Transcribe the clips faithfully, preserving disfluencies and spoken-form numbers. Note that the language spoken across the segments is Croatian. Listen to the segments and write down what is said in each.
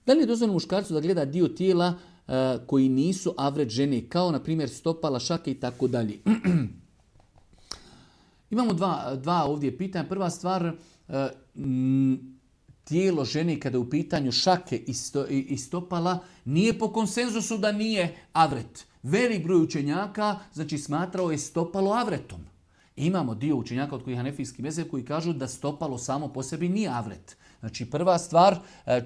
Da li je dozvoljeno muškarcu da gleda dio tijela uh, koji nisu avret žene, kao na primjer stopala, šake i tako dalje? Imamo dva, dva ovdje pitanja. Prva stvar, uh, m, tijelo žene kada je u pitanju šake i, sto, i, i stopala nije po konsenzusu da nije avret. Velik broj učenjaka znači smatrao je stopalo avretom. Imamo dio učenjaka od kojih hanefijski mezheb koji kažu da stopalo samo po sebi nije avret. Znači prva stvar,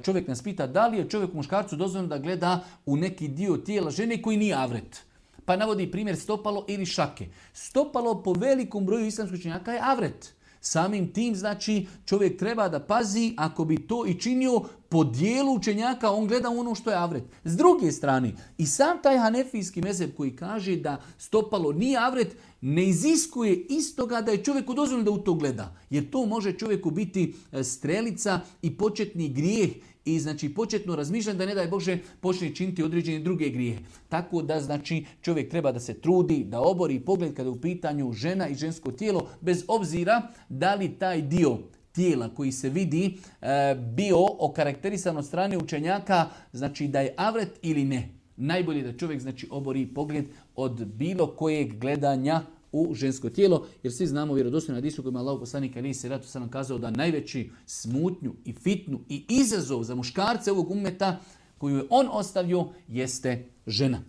čovjek nas pita da li je čovjek muškarcu dozvoljeno da gleda u neki dio tijela žene koji nije avret. Pa navodi primjer stopalo ili šake. Stopalo po velikom broju islamskih učenjaka je avret. Samim tim, znači, čovjek treba da pazi, ako bi to i činio po dijelu učenjaka, on gleda ono što je avret. S druge strane, i sam taj hanefijski mezheb koji kaže da stopalo nije avret, ne iziskuje istoga da je čovjeku dozvoljeno da u to gleda. Jer to može čovjeku biti strelica i početni grijeh i znači početno razmišljanje da ne daj Bože počne činiti određene druge grijehe. Tako da znači čovjek treba da se trudi, da obori pogled kada je u pitanju žena i žensko tijelo, bez obzira da li taj dio tijela koji se vidi e, bio okarakterisan od strane učenjaka, znači da je avret ili ne. Najbolje da čovjek znači obori pogled od bilo kojeg gledanja u žensko tijelo, jer svi znamo vjerodostojno hadisu kojima Allahu poslanik alejhi selatu selam kazao da najveći smutnju i fitnu i izazov za muškarce ovog ummeta koju je on ostavio jeste žena.